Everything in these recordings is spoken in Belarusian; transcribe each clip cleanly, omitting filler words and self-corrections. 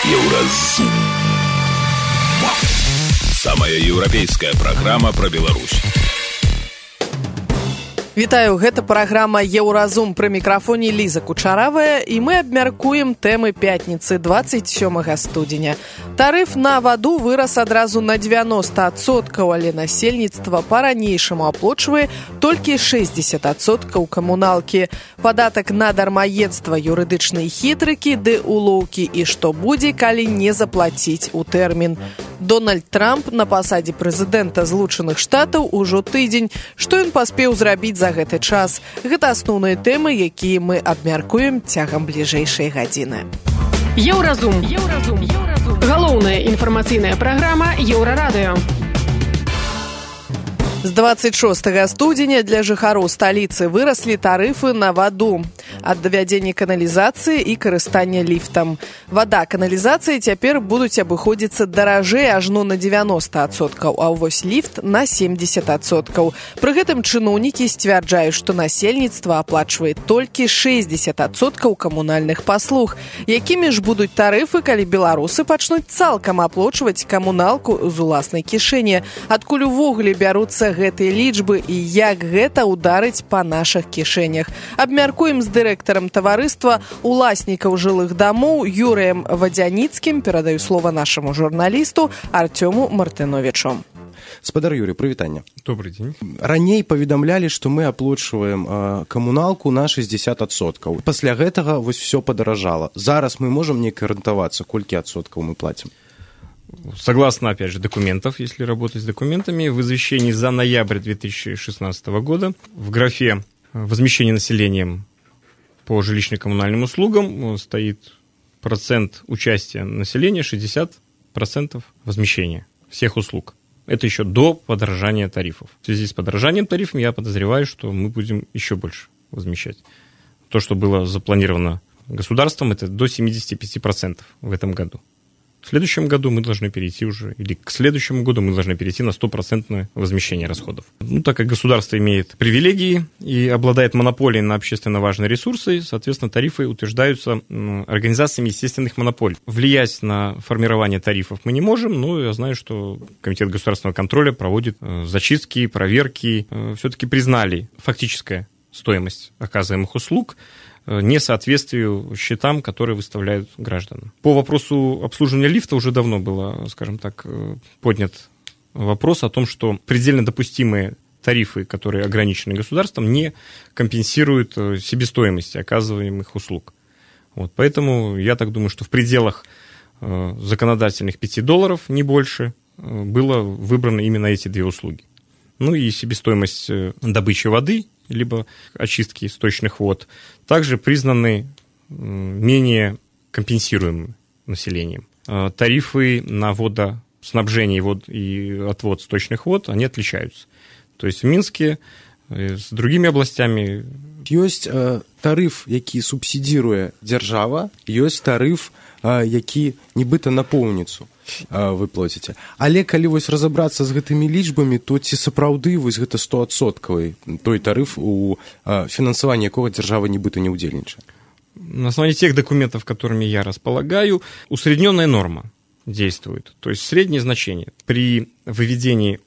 Еўразум. Самая еўрапейская праграма пра Беларусь. Вітаю, гэта праграма «Еўразум», пры мікрафоне Ліза Кучаравая, і мы абмяркуем тэмы пятніцы 27 студзеня. Тарыф на ваду вырас адразу на 90%, але насельніцтва па-ранейшаму аплачвае толькі 60% камуналкі. Падатак на дармаедства, юрыдычныя хітрыкі ды улоўкі і што будзе, калі не заплаціць у тэрмін. Дональд Трамп на пасадзе прэзідэнта Злучаных Штатаў ужо тыдзень. Што ён паспеў зрабіць за гэты час? Гэта асноўныя тэмы, якія мы абмяркуем цягам бліжэйшай гадзіны. Еўразум. Галоўная інфармацыйная праграма Еўрарадыё. З 26 студзеня для жыхароў сталіцы выраслі тарыфы на ваду ад давядзення каналізацыі і карыстання ліфтам. Вада, каналізацыі цяпер будуць абыходзіцца даражэй ажно на 90%, а вось ліфт на 70%. Пры гэтым чыноўнікі сцвярджаюць, што насельніцтва аплачвае толькі 60% камунальных паслуг. Якімі ж будуць тарыфы, калі беларусы пачнуць цалкам аплачваць камуналку з уласнай кішэні? Адкуль увогуле бяруцца гэтыя лічбы і як гэта ударыць па нашых кішэнях? Абмяркуем з дырэктарам таварыства уласнікаў жылых дамоў Юрыем Вадзяніцкім. Перадаю слова нашаму журналісту Артёму Мартыновічу. Спадар Юрий, прывітанне. Добрый день. Раней паведамлялі, што мы аплачваем камуналку на 60%. Пасля гэтага вось все падаражала. Зараз мы можам неяк арыентавацца, колькі адсоткаў мы платим? Согласно, опять же, документов, если работать с документами, в извещении за ноябрь 2016 года в графе «Возмещение населением по жилищно-коммунальным услугам» стоит процент участия населения 60% возмещения всех услуг. Это еще до подорожания тарифов. В связи с подорожанием тарифов я подозреваю, что мы будем еще больше возмещать. То, что было запланировано государством, это до 75% в этом году. В следующем году мы должны перейти уже, или к следующему году мы должны перейти на 100% возмещение расходов. Так как государство имеет привилегии и обладает монополией на общественно важные ресурсы, соответственно, тарифы утверждаются организациями естественных монополий. Влиять на формирование тарифов мы не можем, но я знаю, что Комитет государственного контроля проводит зачистки, проверки. Все-таки признали фактическая стоимость оказываемых услуг несоответствию счетам, которые выставляют гражданам. По вопросу обслуживания лифта уже давно было, скажем так, поднят вопрос о том, что предельно допустимые тарифы, которые ограничены государством, не компенсируют себестоимости оказываемых услуг. Поэтому я так думаю, что в пределах законодательных $5, не больше, было выбрано именно эти две услуги. И себестоимость добычи воды, либо очистки сточных вод, также признаны менее компенсируемыми населением. Тарифы на водоснабжение и отвод сточных вод, они отличаются. То есть в Минске с другими областями... Ёсць тарыф, які субсідіруе дзяржава, ёсць тарыф, які нібыта на поўніцу вы плаціце. Але калі вось разабрацца з гэтымі лічбамі, то ці сапраўды вось гэта 100% той тарыф, у фінансаванні якога дзяржава нібыта не ўдзельнічае? На основании тех документов, которыми я располагаю, усредненная норма действует. То есть среднее значение. При выведении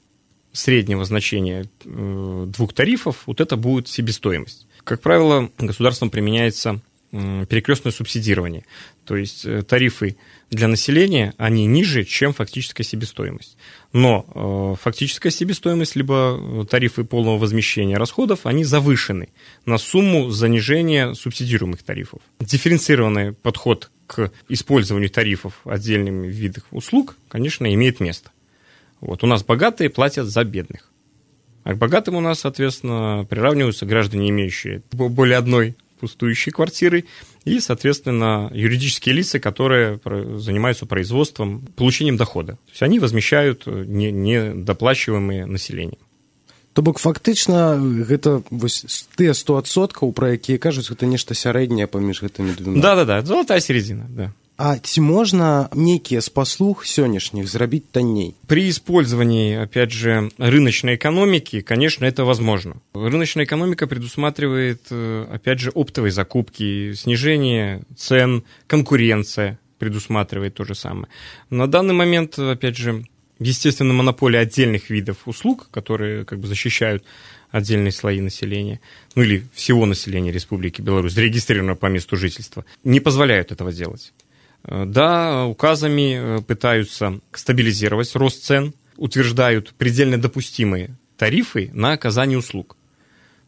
среднего значения двух тарифов, это будет себестоимость. Как правило, государством применяется перекрестное субсидирование. То есть тарифы для населения, они ниже, чем фактическая себестоимость. Но фактическая себестоимость, либо тарифы полного возмещения расходов, они завышены на сумму занижения субсидируемых тарифов. Дифференцированный подход к использованию тарифов отдельными видов услуг, конечно, имеет место. У нас богатые платят за бедных. А к богатым у нас, соответственно, приравниваются граждане, имеющие более одной пустующей квартиры, и, соответственно, юридические лица, которые занимаются производством, получением дохода. То есть они возмещают недоплачиваемые населением. То бок фактычна гэта вось тыя 100%, пра якія кажуць, гэта нешта сярэдняе паміж гэтымі двума. Да, золотая середина, да. А ці можна нейкія з паслуг сённяшніх зрабіць танней? При использовании, опять же, рыночной экономики, конечно, это возможно. Рыночная экономика предусматривает, опять же, оптовые закупки, снижение цен, конкуренция. предусматривает то же самое. На данный момент, опять же, естественно, монополия отдельных видов услуг, которые как бы защищают отдельные слои населения, ну или всего населения Республики Беларусь, зарегистрированного по месту жительства, не позволяют этого делать. Да, указами пытаются стабилизировать рост цен, утверждают предельно допустимые тарифы на оказание услуг.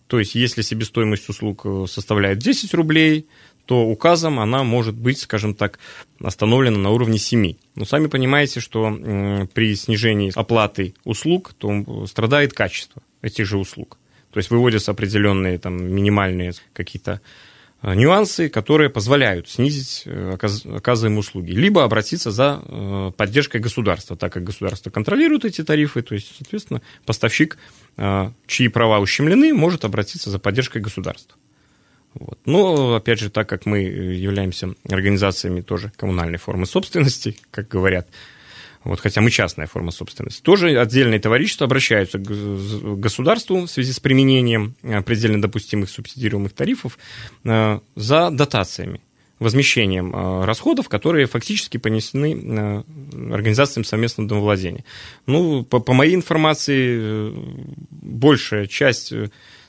То есть, если себестоимость услуг составляет 10 рублей, то указом она может быть, скажем так, остановлена на уровне 7. Но сами понимаете, что при снижении оплаты услуг, то страдает качество этих же услуг. То есть выводятся определенные там, минимальные какие-то нюансы, которые позволяют снизить оказываемые услуги. Либо обратиться за поддержкой государства, так как государство контролирует эти тарифы, то есть, соответственно, поставщик, чьи права ущемлены, может обратиться за поддержкой государства. Вот. Но, опять же, так как мы являемся организациями тоже коммунальной формы собственности, как говорят, вот, хотя мы частная форма собственности, тоже отдельные товарищества обращаются к государству в связи с применением предельно допустимых субсидируемых тарифов за дотациями, возмещением расходов, которые фактически понесены организациям совместного домовладения. Ну, по моей информации, большая часть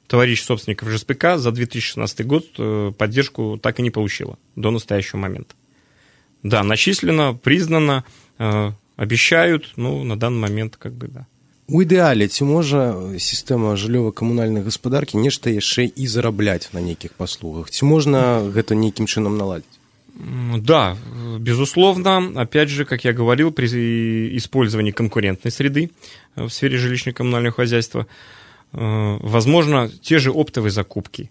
товарищ собственников ЖСПК за 2016 год поддержку так и не получила до настоящего момента. Да, начислено, признано, обещают, ну, на данный момент как бы да. У ідэале ці можа сістэма жыллёва-камунальнай гаспадаркі нешта яшчэ і зарабляць на нейкіх паслугах? Ці можна гэта нейкім чынам наладзіць? Да, безусловно, опять же, как я говорил, при использовании конкурентной среды в сфере жилищно-коммунального хозяйства возможно те же оптовые закупки,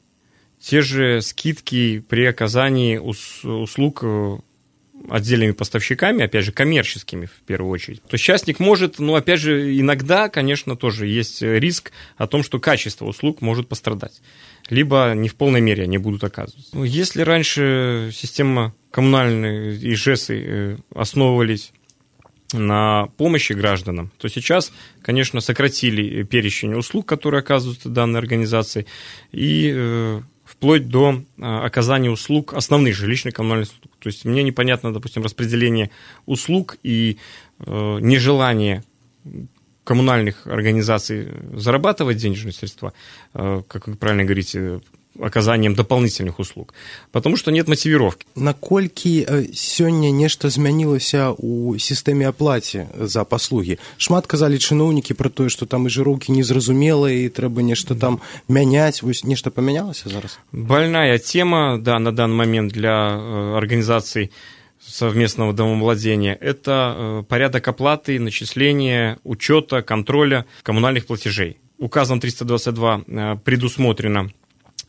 те же скидки при оказании услуг отдельными поставщиками, опять же, коммерческими в первую очередь. То есть частник может, ну, опять же, иногда, конечно, тоже есть риск о том, что качество услуг может пострадать. Либо не в полной мере они будут оказываться. Если раньше система коммунальная и ЖЭСы основывались на помощи гражданам, то сейчас, конечно, сократили перечень услуг, которые оказываются данной организацией, и вплоть до оказания услуг, основных жилищно-коммунальных услуг. То есть мне непонятно, допустим, распределение услуг и нежелание коммунальных организаций зарабатывать денежные средства, как вы правильно говорите, оказанием дополнительных услуг, потому что нет мотивировки. Наколькі сёння нешта змянілася ў сістэме аплаце за паслугі? Шмат казалі чыноўнікі пра тое, што там і жыроўкі незразумелыя, і трэба нешта там мяняць. Вось нешта памянялася зараз? Больная тема, да, на данный момент для организаций совместного домовладения – это порядок оплаты, начисления, учета, контроля коммунальных платежей. Указом 322 предусмотрено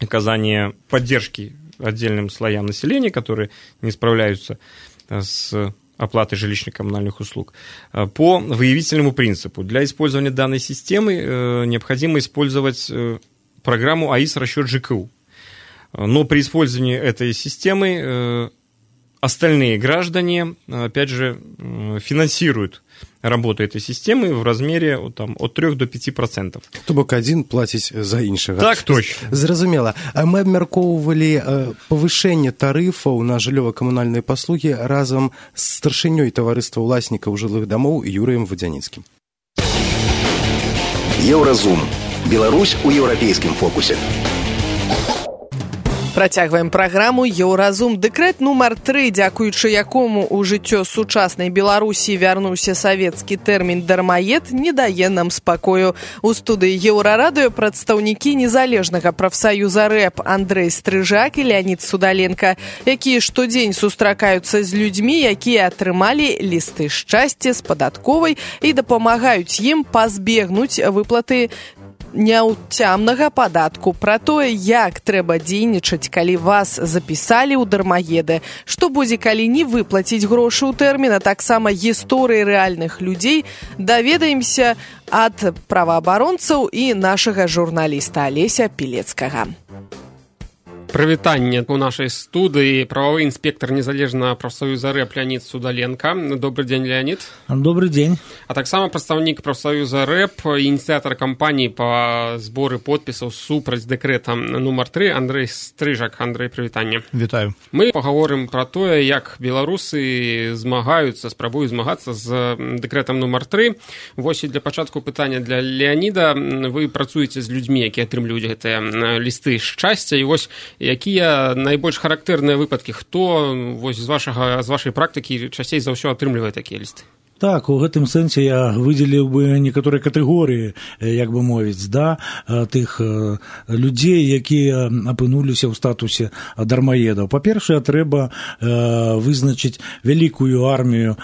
оказание поддержки отдельным слоям населения, которые не справляются с оплатой жилищно-коммунальных услуг, по выявительному принципу. Для использования данной системы необходимо использовать программу АИС «Расчет ЖКУ». Но при использовании этой системы остальные граждане, опять же, финансируют работу этой системы в размере там, от 3 до 5%. То бок адзін плаціць за іншага. Так, точно. Зразумела. Мы абмяркоўвалі павышэнне тарыфаў на жыллёва-камунальныя паслугі разам з старшынёй таварыства ўласнікаў жылых дамоў Юрыем Вадзяніцкім. Еўразум. Беларусь у еўрапейскім фокусе. Працягваем праграму «Еўразум». Дэкрэт нумар 3, дзякуючы якому ў жыццё сучаснай Беларусі вярнуўся савецкі тэрмін «дармаед», не дае нам спакою. У студыі Еўрарадыё прадстаўнікі незалежнага прафсаюза РЭП Андрэй Стрыжак і Леонид Судаленко, якія штодзень сустракаюцца з людзьмі, якія атрымалі лісты шчасця з падатковай і дапамагаюць ім пазбегнуць выплаты няўцямнага падатку, пра тое, як трэба дзейнічаць, калі вас запісалі ў дармаеды, што будзе, калі не выплаціць грошы ў тэрмін, а таксама гісторыі рэальных людзей даведаемся ад праваабаронцаў і нашага журналіста Алеся Пілецкага. Прывітанне у нашай студыі прававы інспектор незалежнага прафсаюза рэп Леонид Судаленко. Добрый день, Леонид. Добрый день. А таксама прадстаўнік прафсаюза рэп, ініцыятар кампаніі па зборы подпісаў супраць дэкрэта нумар 3 Андрей Стрыжак. Андрей, прывітанне. Вітаю. Мы пагаворым пра тое, як беларусы спрабуюць змагацца з дэкрэтам нумар 3. Вось і для пачатку пытання для Леоніда. Вы працуеце з людзьмі, якія атрымліваюць гэтыя лісты шчасця, і вось якія найбольш характэрныя выпадкі, хто вось з вашай практыкі часцей за ўсё атрымлівае такія лісты? Так, у гэтым сэнсе я выдзеліў бы некаторыя катэгорыі, як бы мовіць, да, тых людзей, якія апынуліся ў статусе дармаедаў. Па-першае, трэба вызначыць вялікую армію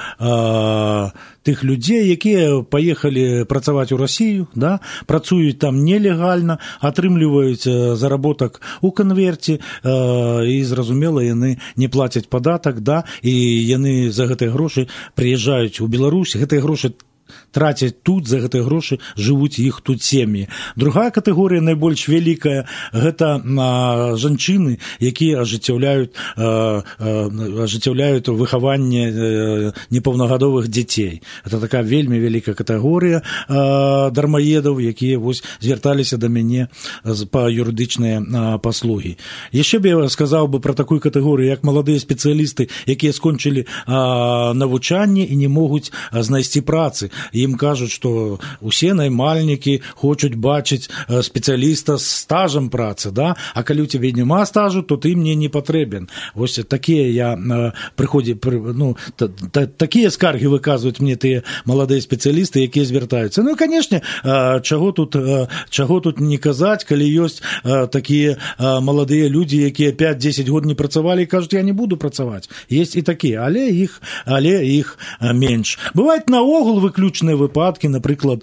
тых людзей, якія паехалі працаваць у Расію, да, працуюць там нелегальна, атрымліваюць заработак у канверце, і, зразумела, яны не плацяць падатак, да, і яны за гэтыя грошы прыязджаюць у Беларусь, гэтыя грошы трацяць тут, за гэтыя грошы жывуць іх тут сем'і. Другая катэгорыя, найбольш вялікая, гэта жанчыны, якія ажыццяўляюць выхаванне непаўнагадовых дзяцей. Это такая вельмі вялікая катэгорыя дармаедаў, якія вось звярталіся да мяне па юрыдычныя паслугі. Яшчэ б я сказаў бы пра такую катэгорыю, як маладыя спецыялісты, якія скончылі навучанне і не могуць знайсці працы. Ім кажуць, што усе наймальнікі хочуць бачыць спецыяліста з стажам працы, да? А калі ў цябе няма стажу, то ты мне не патрэбен. Вось такія такія скаргі выказваюць мне тыя маладыя спецыялісты, якія звяртаюцца. Ну і, канешне, чаго тут не казаць, калі ёсць такія маладыя людзі, якія 5-10 год не працавалі і кажуць, я не буду працаваць. Ёсць і такія, але іх менш. Бываюць наогул выключныя выпадкі, напрыклад,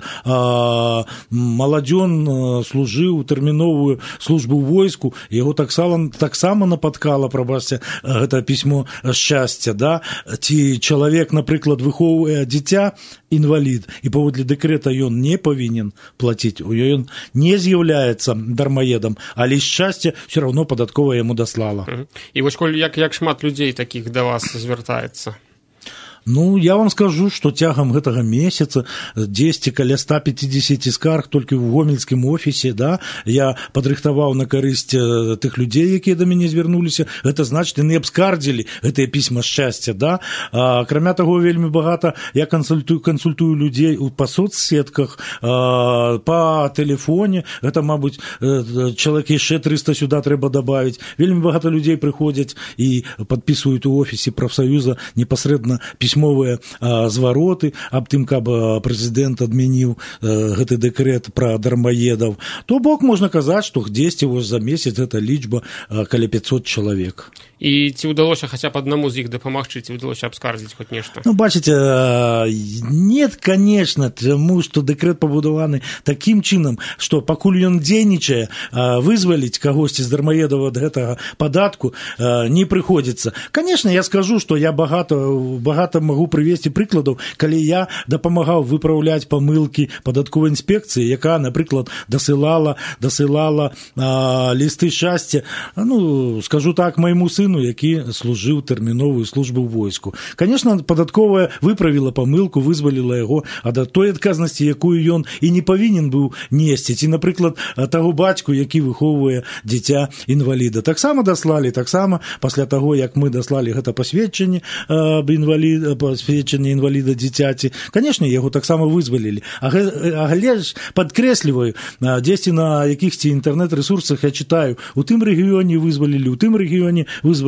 маладзён служыў тэрміновую службу ў войску, яго таксама напаткала, прабачце, гэта пісьмо шчасця, да? Ці чалавек, напрыклад, выхоўвае дзіця, інвалід, і паводле дэкрэта ён не павінен плаціць, ён не з'яўляецца дармаедам, але шчасце ўсё роўно падатковая яму даслала. І вось як шмат людзей такіх да вас звяртаецца? Ну, я вам скажу, што цягам гэтага месяца 10 каля 150 скарг толькі ў гомельскім офісе, да, я падрыхтаваў на карысць тых людзей, якія да мяне звярнуліся. Гэта значыць, яны абскардзілі гэтыя пісьма шчасця, да. Акрамя таго, вельмі багата я кансультую людзей па соцсетках, па тэлефоне. Гэта, мабыць, чалавек яшчэ 300 сюда трэба дабавіць. Вельмі багата людзей прыходзяць і падпісваюць у офісе прафсаюза непасрэдна пісьмовыя звароты аб тым, каб прэзідэнт адмяніў гэты дэкрэт пра дармаедаў. То бок можна казаць, што дзесьці за месяц гэта лічба каля 500 чалавек. І ці ўдалося хаця б аднаму з іх дапамагчы, ці ўдалося абскардзіць хоць нешта? Ну, бачыце, нет, конечно, таму што дэкрэт пабудаваны такім чынам, што пакуль ён дзейнічае, вызваліць кагосьці з дармаедаў ад гэтага падатку не прыходзіцца. Конечно, я скажу, што я багата магу прывесці прыкладаў, калі я дапамагаў выпраўляць памылкі падатковай інспекцыі, якая, напрыклад, дасылала лісты шчасця, ну, скажу так, майму сыну, які служыў тэрміновую службу ў войску. Конечно, падатковая выправіла памылку, вызваліла яго ад той адказнасці, якую ён і не павінен быў несці. Ці, напрыклад, таго бацьку, які выхоўвае дзіця інваліда. Таксама даслалі, таксама пасля таго, як мы даслалі гэта пасведчанне інваліда дзіцяці, конечно, яго таксама вызвалілі. Але ж падкрэсліваю, дзесьці на якіхсьці інтэрнэт-рэсурсах я чытаю, у тым рэгіёне вызвалілі, у тым рэгіёне вызвалілі.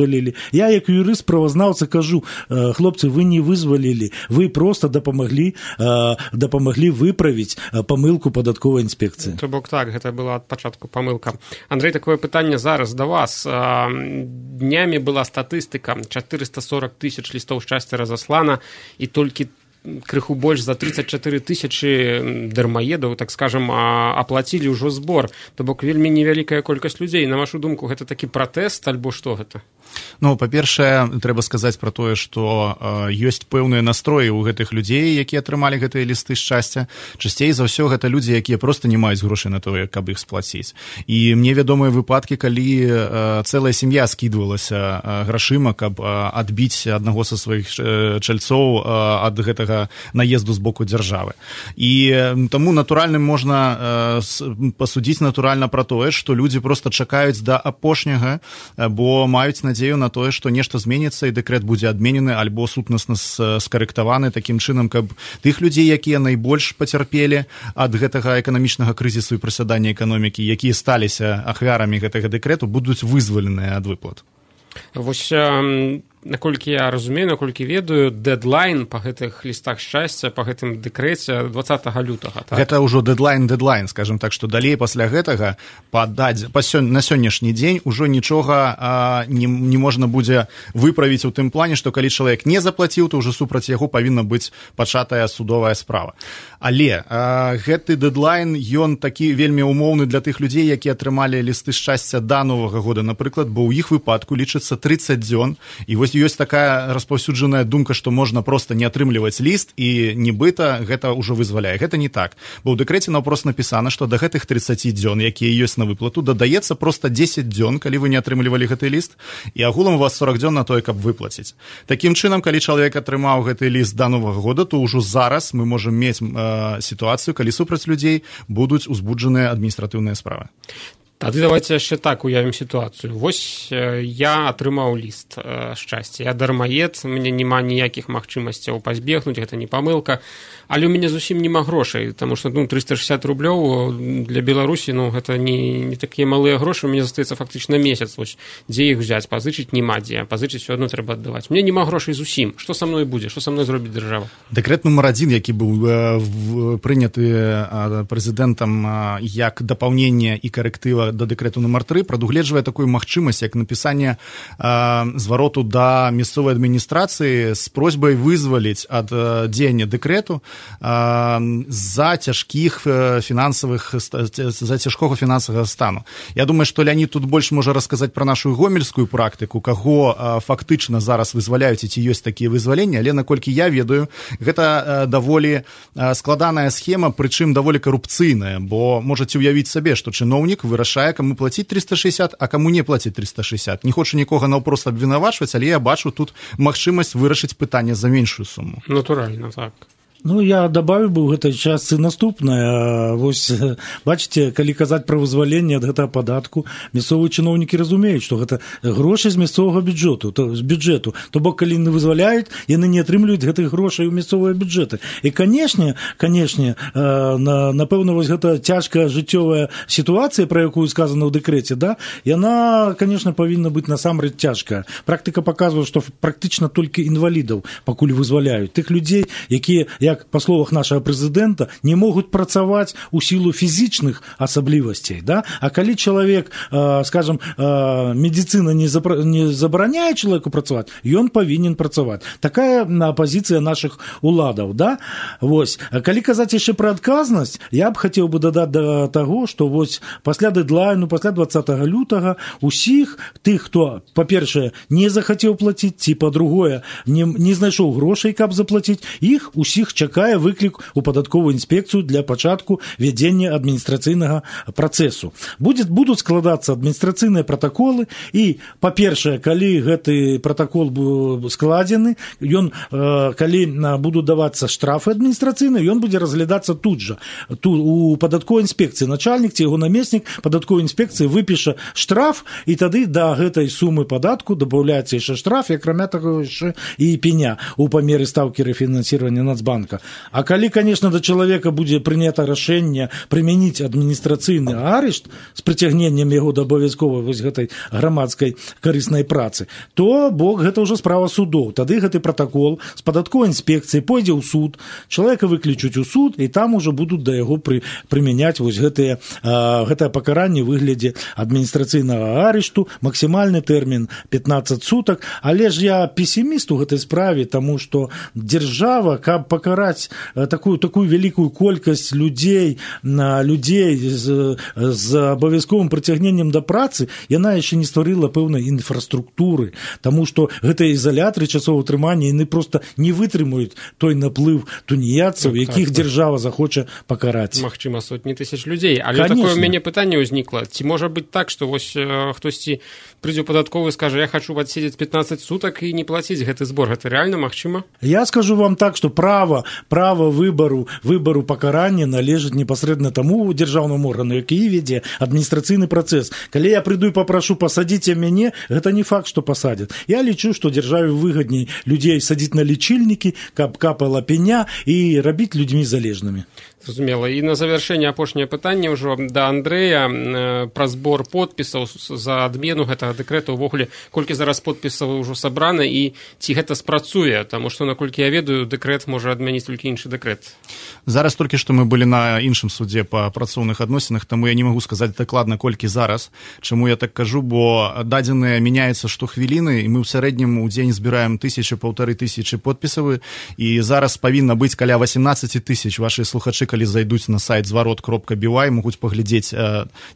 Я, як юрыст-правазнаўца, кажу, хлопцы, вы не вызвалілі, вы просто дапамаглі выправіць памылку падатковай інспекцыі. То бок так, гэта была ад пачатку памылка. Андрэй, такое пытанне зараз да вас. Днямі была статыстыка, 440 тысяч лістоў шчасця разаслана, і толькі крыху больш за 34 тысячы дармаедаў, так скажем, аплацілі ўжо збор. То бок вельмі невялікая колькасць людзей. На вашу думку, гэта такі пратэст, альбо што гэта? Ну, па-першае, трэба сказаць пра тое, што ёсць пэўныя настроі ў гэтых людзей, якія атрымалі гэтыя лісты шчасця. Часцей за ўсё гэта людзі, якія проста не маюць грошай на тое, каб іх сплаціць. І мне вядомыя выпадкі, калі цэлая сям'я скідвалася грашыма, каб адбіць аднаго са сваіх чальцоў ад гэтага наезду з боку дзяржавы. І таму натуральным можна пасудзіць натуральна пра тое, што людзі проста чакаюць да апошняга, бо маюць надзею на тое, што нешта зменіцца і дэкрэт будзе адменены альбо сутнасна скарэктаваны такім чынам, каб тых людзей, якія найбольш пацярпелі ад гэтага эканамічнага крызісу і прасядання эканомікі, якія сталіся ахвярамі гэтага дэкрэту, будуць вызваленыя ад выплат. Вось наколькі я разумею, наколькі ведаю, дэдлайн па гэтых лістах шчасця, па гэтым дэкрэце 20 лютага. Так? Гэта ўжо дэдлайн, скажем так, што далей пасля гэтага на сённяшні дзень ужо нічога не можна будзе выправіць у тым плане, што калі чалавек не заплаціў, то ўжо супраць яго павінна быць пачатая судовая справа. Але гэты дэдлайн, ён такі вельмі умоўны для тых людзей, якія атрымалі лісты шчасця да Новага года, напрыклад, бо ў іх выпадку лічыцца 30 дзён, і вось ёсць такая распаўсюджаная думка, што можна проста не атрымліваць ліст і нібыта гэта ўжо вызваляе. Гэта не так. Бо ў дэкрэце наўпрост напісана, што да гэтых 30 дзён, якія ёсць на выплату, дадаецца проста 10 дзён, калі вы не атрымлівалі гэты ліст, і агулам у вас 40 дзён на тое, каб выплаціць. Такім чынам, калі чалавек атрымаў гэты ліст да Новага года, то ўжо зараз мы можам мець сітуацыю, калі супраць людзей будуць узбуджаныя адміністратыўныя справы. Тады давайте яшчэ так уявім сітуацыю. Вось я атрымаў ліст шчасця. Я дармаед, у мяне няма ніякіх магчымасцяў пазбегнуць, гэта не памылка, але ў мяне зусім няма грошай, таму што 360 рублёў для Беларусі, гэта не такія малыя грошы, у мяне застаецца фактычна месяц. Вось дзе іх взяць, пазычыць няма дзе, пазычыць усё адно трэба аддаваць. У мяне няма грошай зусім. Што са мной будзе? Што са мной зробіць дзяржава? Дэкрэт нумар 1, які быў прыняты прэзідэнтам як дапаўненне і карэктыва да дэкрэту нумар 3, прадугледжвае такую магчымасць, як напісанне звароту да мясцовай адміністрацыі з просьбай вызваліць ад дзеяння дэкрэту за цяжкога фінансавага стану. Я думаю, што Леонид тут больш можа расказаць пра нашу гомельскую практыку, каго фактычна зараз вызваляюць, і ці ёсць такія вызваленні, але наколькі я ведаю, гэта даволі складаная схема, прычым даволі карупцыйная, бо можаце ўявіць сабе, што чыноўнік вырашае, каму плаціць 360, а каму не плаціць 360. Не хочу нікога наўпрост абвінавачваць, але я бачу тут магчымасць вырашыць пытанне за меншую суму. Натуральна, так. Я добавіў бы ў гэтай частцы наступнае. Вось, бачыце, калі казаць пра вызваленне ад гэтага падатку, мясцовыя чыноўнікі разумеюць, што гэта грошы з мясцовага бюджэту. То бок, калі не вызваляюць, яны не атрымліваюць гэтых грошай у мясцовыя бюджэты. І, канешне, напэўна, вось гэта цяжкая жыццёвая сітуацыя, пра якую сказана ў дэкрэце, яна, канешне, павінна быць насамрэч цяжкая. Практыка паказвае, што практычна толькі інвалідаў пакуль вызваляюць. Тых людзей, якія, як па словах нашага прэзідэнта, не могуць працаваць у сілу фізічных асаблівасцей. А калі чалавек, скажам, медыцына не забараняе чалавеку працаваць, ён павінен працаваць. Такая пазіцыя нашых уладаў. Вось. Калі казаць яшчэ пра адказнасць, я б хацеў бы дадаць да таго, што вось пасля дэдлайну, пасля 20 лютага усіх тых, хто, па-першае, не захацеў плаціць, ці, па-другое, не знайшоў грошай, каб заплаціць, іх усіх чакае выклік у падатковую інспекцыю для пачатку вядзення адміністрацыйнага працэсу. Будуць складацца адміністрацыйныя пратаколы, і, па-першае, калі гэты пратакол складзены, калі будуць давацца штрафы адміністрацыйныя, ён будзе разглядацца тут жа. У падатковай інспекцыі начальнік ці яго намеснік падатковай інспекцыі выпіша штраф, і тады да гэтай сумы падатку дабаўляецца яшчэ штраф, і акрамя таго яшчэ і пеня у памеры стаўкі рэфінансіравання Нацбанка. А калі, конечно, да чалавека будзе прынята рашэнне прымяніць адміністрацыйны арышт з прыцягненнем яго да абавязковай вось гэтай грамадскай карыснай працы, то бок гэта ўжо справа судоў. Тады гэты пратакол з падатковай інспекцыі пойдзе ў суд, чалавека выклічуць у суд, і там ужо будуць да яго прымяняць вось гэтае пакаранне ў выглядзе адміністрацыйнага арышту, максімальны тэрмін 15 сутак. Але ж я песіміст у гэтай справе, таму што дзяржава, каб пакараць пакараць такую вялікую колькасць людзей з абавязковым прыцягненнем да працы, яна яшчэ не стварыла пэўнай інфраструктуры, таму што гэтыя ізалятары часовага трымання, яны проста не вытрымаюць той наплыў туніяцаў, якіх дзяржава захоча пакараць. Магчыма, сотні тысяч людзей. Але такое ў мяне пытанне ўзнікла. Ці можа быць так, што вось хтосьці прыйдзе ў падатковую і скажа, я хочу адседзець 15 сутак і не плаціць гэты збор. Гэта рэальна магчыма? Я скажу вам так, што права выбару пакарання належыць непасрэдна таму дзяржаўнаму органу, які вядзе адміністрацыйны працэс. Калі я прыйду і папрашу пасадзіце мяне, гэта не факт, што пасадзяць. Я лічу, што дзяржаве выгадней людзей садзіць на лічыльнікі, каб капала пеня і рабіць людзьмі залежнымі. Зразумела. І на завяршэнне апошняе пытанне ўжо да Андрэя пра збор подпісаў за адмену гэтага дэкрэта. Увогуле, колькі зараз подпісаў ужо сабрана і ці гэта спрацуе? Таму што, наколькі я ведаю, дэкрэт можа адмяніць толькі іншы дэкрэт. Зараз толькі што мы былі на іншым судзе па працоўных адносінах, таму я не магу сказаць дакладна, колькі зараз. Чаму я так кажу, бо дадзеныя мяняюцца штохвіліны, і мы ў сярэднім у дзень збіраем 1000-1500 подпісаў, і зараз павінна быць каля 18 000. Вашы слухачы, калі зайдуць на сайт зварот.by, могуць паглядзець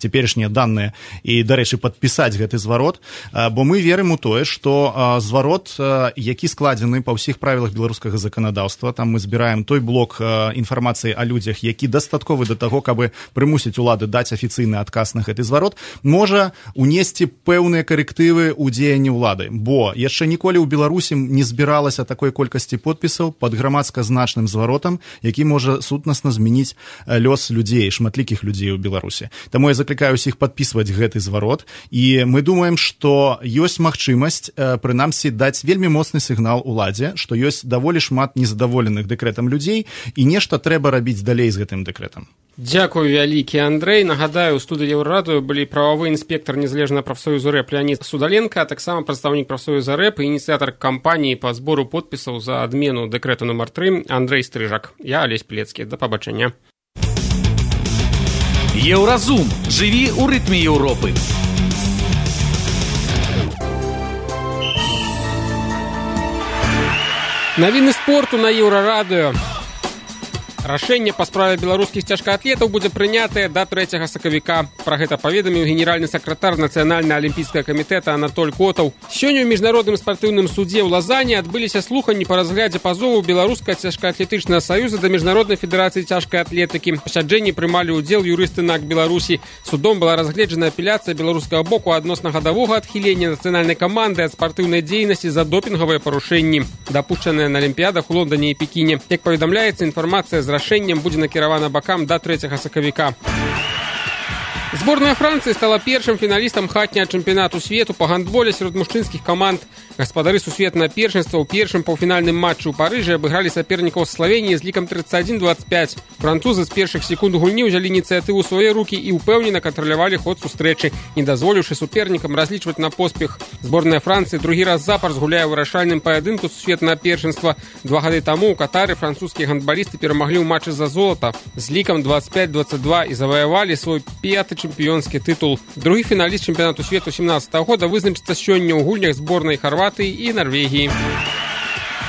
цяперашнія даныя і, дарэчы, падпісаць гэты зварот, бо мы верым у тое, што зварот, які складзены па ўсіх правілах беларускага заканадаўства, там мы збіраем той блок інфармацыі о людзях, які дастатковы да таго, каб прымусіць улады даць афіцыйны адказ на гэты зварот, можа унесці пэўныя карэктывы ў дзеянні ўлады, бо яшчэ ніколі ў Беларусі не збіралася такой колькасці подпісаў пад грамадска значным зваротам, які можа сутнасна змяніць лёс людзей, шматлікіх людзей у Беларусі. Таму я заклікаю ўсіх падпісваць гэты зварот, і мы думаем, што ёсць магчымасць, прынамсі, даць вельмі моцны сігнал уладзе, што ёсць даволі шмат незадаволеных дэкрэтам людзей, і нешта трэба рабіць далей з гэтым дэкрэтам. Дзякую вялікі, Андрэй. Нагадаю, у студыі Еўрарадыё былі прававы інспектар незалежнага прафсоюзу РЭП Леонід Судаленко, а таксама прадстаўнік прафсоюза РЭП і ініцыятар кампаніі па збору подпісаў за адмену дэкрэта нумар 3 Андрэй Стрыжак. Я Алесь Плецкі. Да пабачэння. Еўразум. Жыві ў рытме Еўропы. Навіны спорту на Еўрарадыё. Рашэнне па справе беларускіх цяжкаатлетаў будзе прынятае да 3 сакавіка. Пра гэта паведаміў генеральны сакратар Нацыянальнага алімпійскага камітэта Анатоль Котаў. Сёння ў міжнародным спартыўным судзе ў Лазане адбыліся слуханні па разглядзе пазову беларускага цяжкаатлетычнага саюза да міжнароднай федэрацыі цяжкай атлетыкі. Пасяджэнні прымалі ўдзел юрысты НАК Беларусі. Судом была разгледжана апеляцыя беларускага боку адносна гадавога адхілення нацыянальнай каманды ад спартыўнай дзейнасці за допінгавыя парушэнні, дапушчаныя на алімпіядах у Лондоне і Пекіне. Як паведамляецца, інфармацыя з рашэннем будзе накіравана бакам да 3 сакавіка. Зборная Францыі стала першым фіналістам хатняга чэмпіянату свету па гандболе сярод мужчынскіх каманд. Гаспадары сусветнага першынства ў першым паўфінальным матчы ў Парыжы абыгралі сапернікаў з Славеніі з лікам 31-25. Французы з першых секунд гульні ўзялі ініцыятыву ў свае рукі і ўпэўнена кантралявалі ход сустрэчы, не дазволіўшы супернікам разлічваць на поспех. Зборная Францыі другі раз запар згуляе ў вырашальным паядынку сусветнага першынства. 2 гады таму ў Катары французскія гандбалісты перамаглі ў матчы за золата з лікам 25-22 і заваявалі свой 5-й чэмпіёнскі тытул. Другі фіналіст чэмпіянату свету 17-го года вызначыцца сёння ў гульнях зборнай Харватыі і Нарвегіі.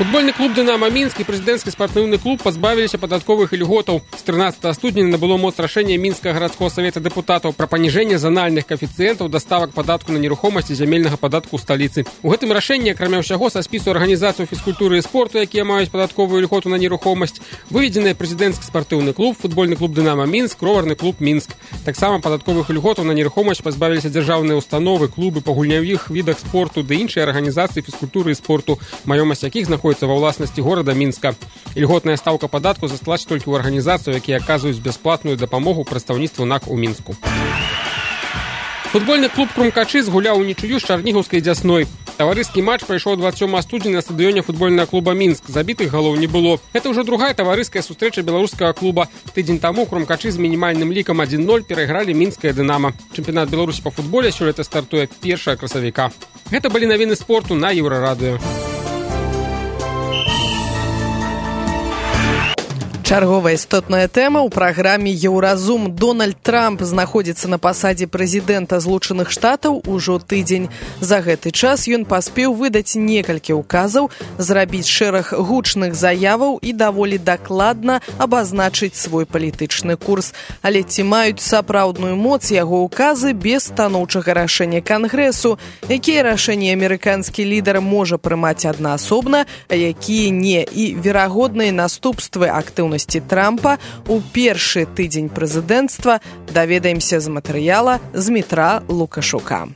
Футбольны клуб «Дынамо Мінск» і прэзідэнцкі спартыўны клуб пазбавіліся падатковых ільготаў. З 13 студзеня набыло моц рашэнне Мінскага гарадскога савета дэпутатаў пра паніжэнне занальных каэфіцыентаў даставак падатку на нерухомасць і зямельнага падатку ў сталіцы. У гэтым рашэнні, акрамя ўсяго, са спісу арганізацыяў фізкультуры і спорту, якія маюць падатковую ільготу на нерухомасць, выведзены прэзідэнцкі спартыўны клуб, футбольны клуб «Дынамо Мінск», роварны клуб «Мінск». Таксама падатковых ільготаў на нерухомасць пазбавіліся дзяржаўныя установы, клубы па гульнявых відах спорту ды іншыя арганізацыі фізкультуры і спорту, маёмасць якіх знаходзіцца ва ўласнасці горада Мінска. Ільготная стаўка падатку засталася толькі ў арганізацыю, якія аказваюць бясплатную дапамогу прадстаўніцтву НАК у Мінску. Футбольны клуб «Крумкачы» згуляў унічыю з Чарнігаўскай «Дзясной». Таварыскі матч прайшоў 27 студзеня на стадыёне футбольнага клуба «Мінск». Забітых галоў не было. Гэта ўжо другая таварыская сустрэча беларускага клуба. Тыдзень таму «Крумкачы» з мінімальным лікам 1-0 перайгралі мінскае «Дынамо». Чэмпіянат Беларусі па футболе сёлета стартуе 1 красавіка. Гэта былі навіны спорту на Еўрарадыё. Чарговая істотная тэма ў праграме «Еўразум». Дональд Трамп знаходзіцца на пасадзе прэзідэнта Злучаных Штатаў ужо тыдзень. За гэты час ён паспеў выдаць некалькі указаў, зрабіць шэраг гучных заяваў і даволі дакладна абазначыць свой палітычны курс. Але ці маюць сапраўдную моц яго указы без станоўчага рашэння Кангрэсу? Якія рашэнні амерыканскі лідар можа прымаць аднаасобна, а якія не? І верагодныя наступствы актыўнасці Трампа у першы тыдзень прэзідэнцтва даведаемся з матэрыяла Змітра Лукашука.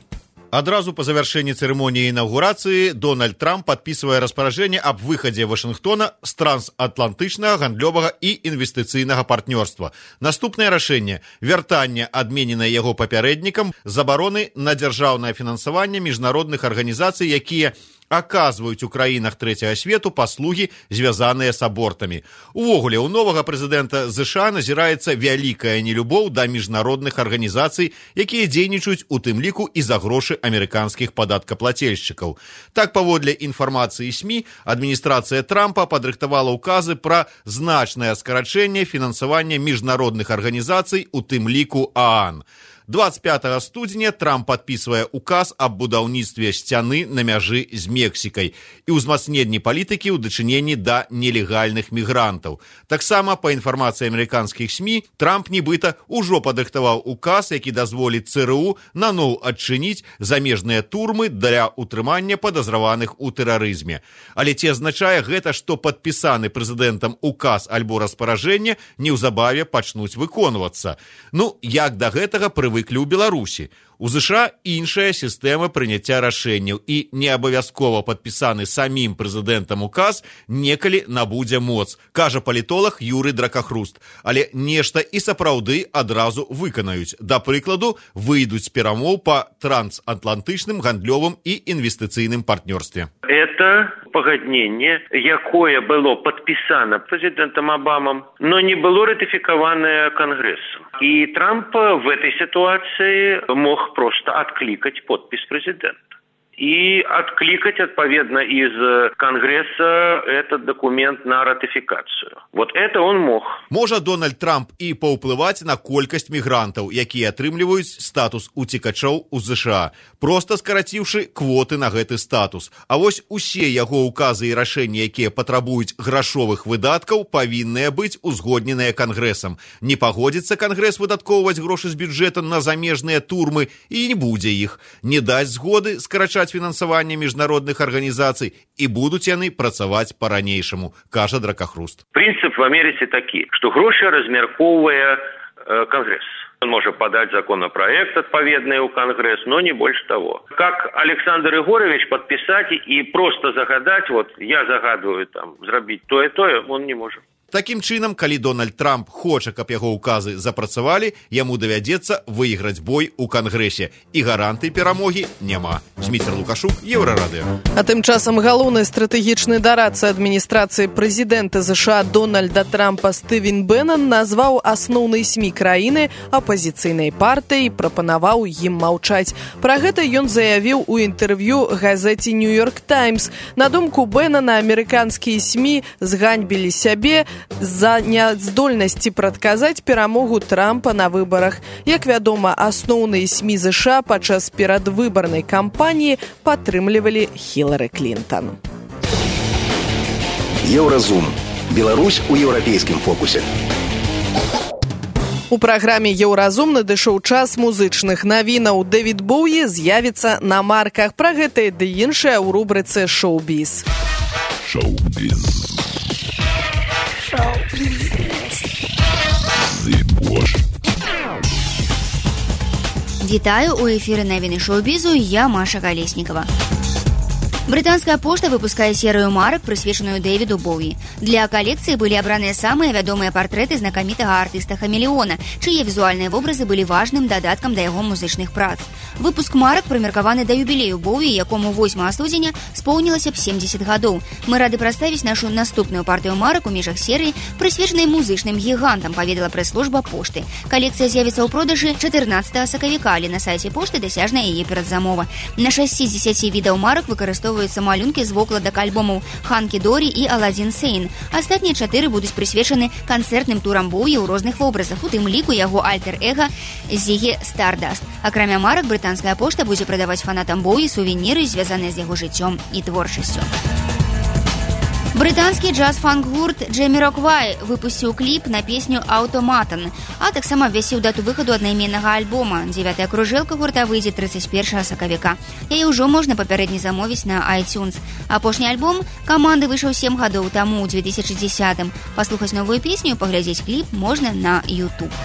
Адразу по завершении церемонии инаугурации Дональд Трамп подписывает распоряжение об выходе Вашингтона с трансатлантычнага гандлёвага и инвестицыйнага партнерства. Наступное решение – вяртанне адмененае яго папярэднікам забароны на дзяржаўнае фінансаванне міжнародных арганізацый, якія аказваюць у краінах трэцяга свету паслугі, звязаныя з абортамі. Увогуле, у новага прэзідэнта США назіраецца вялікая нелюбоў да міжнародных арганізацый, якія дзейнічаюць у тым ліку і за грошы амерыканскіх падаткаплацельшчыкаў. Так, паводле інфармацыі СМІ, адміністрацыя Трампа падрыхтавала ўказы пра значнае скарачэнне фінансавання міжнародных арганізацый, у тым ліку ААН. 25 студзеня Трамп падпісвае указ аб будаўніцтве сцяны на мяжы з Мексікай і ўзмацненні палітыкі ў дачыненні да нелегальных мігрантаў. Таксама, па інфармацыі амерыканскіх СМІ, Трамп нібыта ўжо падрыхтаваў указ, які дазволіць ЦРУ наноў адчыніць замежныя турмы для утрымання падазраваных у тэрарызме. Але ці азначае гэта, што падпісаны прэзідэнтам указ альбо распаражэнне неўзабаве пачнуць выконвацца? Ну, як да гэтага прывыклі ў Беларусі. У США іншая сістэма прыняцця рашэнняў і неабавязкова падпісаны самім прэзідэнтам указ некалі набудзе моц, кажа палітолог Юрый Дракахруст. Але нешта і сапраўды адразу выканаюць. Да прыкладу, выйдуць з перамоў па трансатлантычным гандлёвым і інвестыцыйным партнёрстве. Это пагадненне, якое было падпісана прэзідэнтам Обамам, но не было ратыфікаванае Кангрэсам. И Трамп в этой ситуации мог просто откликать подпись президента. И откликать, отповедно, из Конгресса этот документ на ратификацию. Вот это он мог. Можа Дональд Трамп і паўплываць на колькасць мігрантаў, якія атрымліваюць статус уцекачоў у США, проста скараціўшы квоты на гэты статус. А вось усе яго указы і рашэнні, якія патрабуюць грашовых выдаткаў, павінныя быць узгодненыя Кангрэсам. Не пагодзіцца Кангрэс выдаткоўваць грошы з бюджэта на замежныя турмы і не будзе іх. Не дасць згоды скарачаць фінансаванне міжнародных арганізацый і будуць яны працаваць па-ранейшаму, кажа Дракахруст. Прынцып в Америке такі, што грошы размяркоўвае Конгресс. Он может подать законопроект отповедный у Конгресс, но не больше того. Как Александр Егорович подписать и просто загадать, вот я загадываю там, зрабіць то и то, он не может. Такім чынам, калі Дональд Трамп хоча, каб яго указы запрацавалі, яму давядзецца выйграць бой у Кангрэсе. І гарантый перамогі няма. Змітер Лукашук, Еўрарадыё. А тым часам галоўны стратэгічны дарадца адміністрацыі прэзідэнта США Дональда Трампа Стывен Бэннон назваў асноўнай СМІ краіны апазіцыйнай партыяй і прапанаваў ім маўчаць. Пра гэта ён заявіў у інтэрв'ю газеце «Нью-Йорк Таймс». На думку Бэннона, амерыканскія СМІ зганьбілі сябе з-за няздольнасці прадказаць перамогу Трампа на выбарах. Як вядома, асноўныя СМІ США падчас перадвыбарнай кампаніі падтрымлівалі Хілары Клінтон. Еўразум. Беларусь у еўрапейскім фокусе. У праграме «Еўразум» надышоў час музычных навінаў. Дэвід Боуі з'явіцца на марках. Пра гэта ды іншае ў рубрыцы «Шоу-біз». Шоу-біз. Вітаю, у эфіры навіны шоу-бізу, я Маша Колеснікова. Брытанская пошта выпускае серыю марак, прысвечаную Дэвіду Боуі. Для калекцыі былі абраныя самыя вядомыя партрэты знакамітага артыста-хамелеона, чые візуальныя вобразы былі важным дадаткам да яго музычных прац. Выпуск марак прымеркаваны да юбілею Боуі, якому 8 студзеня споўнілася б 70 гадоў. Мы рады прадставіць нашу наступную партыю марак у межах серыі, прысвечанай музычным гігантам, паведала прэс-служба пошты. Калекцыя з'явіцца ў продажы 14 сакавіка, але на сайце пошты дасяжная яе перадзамова. На 6 з 10 відаў марак выкарыстоўваюць выкарыстоўваюцца малюнкі з вокладак альбомаў «Ханкі Дорі» і «Аладзін Сейн». Астатнія 4 будуць прысвечаны канцэртным турам Боуі ў розных вобразах, у тым ліку яго альтер-эга Зігі Стардаст. Акрамя марак, брытанская пошта будзе прадаваць фанатам Боуі сувеніры, звязаныя з яго жыццём і творчасцю. Брытанскі джаз-фанк-гурт Джэміроквай выпусціў кліп на песню «Аўтоматан», а таксама абвясціў дату выхаду аднайменнага альбома. 9-я кружэлка гурта выйдзе 31 сакавіка. Яе ўжо можна папярэдне замовіць на iTunes. Апошні альбом каманды выйшаў 7 гадоў таму, у 2010-м. Паслухаць новую песню і паглядзець кліп можна на YouTube.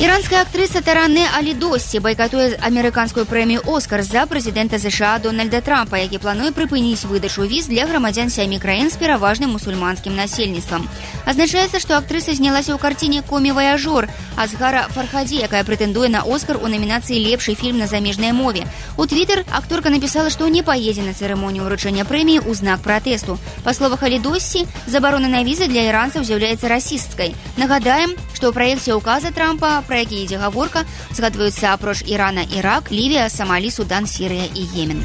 Іранская актрыса Таранэ Алі-Досці байкатуе амерыканскую прэмію «Оскар» за прэзідэнта США Дональда Трампа, які плануе прыпыніць выдачу віз для грамадзян 7 краін з пераважным мусульманскім насельніцтвам. Азначаецца, што актрыса знялася ў карціне «Комі-ваяжор» Азгара Фархадзі, якая прэтэндуе на «Оскар» у намінацыі «Лепшы фільм на замежнай мове». У Твіттер акторка напісала, што не паедзе на цырымонію ўручэння прэміі ў знак пратэсту. Па словах Алі-Досці, забарона на візы для іранцаў з'яўляецца расісцкай. Нагадаем, што ў праекце ўказа Трампа, про які ідзе гаворка, згадваюцца апроч Ірана, Ірак, Лівія, Самалі, Судан, Сірыя і Йемен.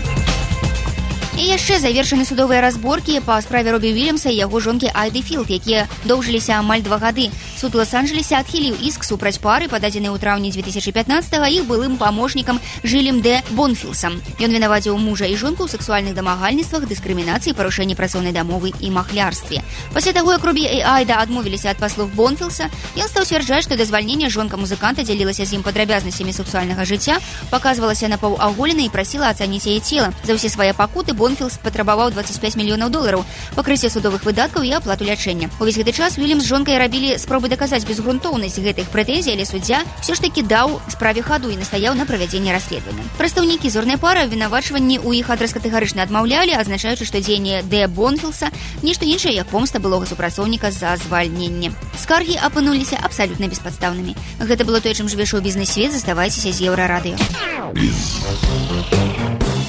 І яшчэ завершаны судовыя разборкі па справе Робі Уільямса і яго жонкі Айды Філд, якія доўжыліся амаль 2 гады. Суд Лос-Анджелесе адхіліў іск супраць пары, пададзены ў траўні 2015-го іх былым памочнікам Жылем Дэ Бонфілсам. Ён вінаваціў мужа і жонку ў сексуальных дамагальніцтвах, дыскрымінацыі, парушэнні працоўнай дамовы і махлярстве. Пасля таго, як Робі і Айда адмовіліся ад паслуг Бонфілса, ён стаў сцвярджаць, што дазвальнення жонка музыканта дзялілася з ім падрабязнасцямі сексуальнага жыцця, паказвалася напаўаголенай і прасіла ацаніць яе цела. За ўсе свае пакуты Бонфілс патрабаваў $25 мільёнаў, пакрыцця судовых выдаткаў і аплату лячэння. Увесь гэты час Уільямс з жонкай рабілі спробы даказаць безгрунтоўнасць гэтых прэтэнзій, але суддзя ўсё ж такі даў справе хаду і настаяў на правядзенні расследавання. Прадстаўнікі зорнай пары абвінавачванні ў іх адрас катэгарычна адмаўлялі, адзначаючы, што дзеянне Дэ Бонфілса нешта іншае, як помста былога супрацоўніка за звальненне. Скаргі апынуліся абсалютна беспадстаўнымі. Гэта было тое, чым жыве шоу-бізнес-свет. Заставайцеся з Еўрарадыё.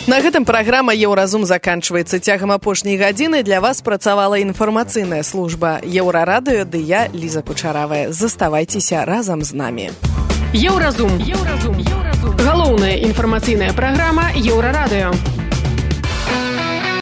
На гэтым праграма «Еўразум» заканчваецца. Цягам апошняй гадзіны для вас працавала інфармацыйная служба «Еўрарадыё», ды я, Ліза Кучаравая. Заставайцеся разам з намі. Еўразум. Галоўная інфармацыйная праграма «Еўрарадыё».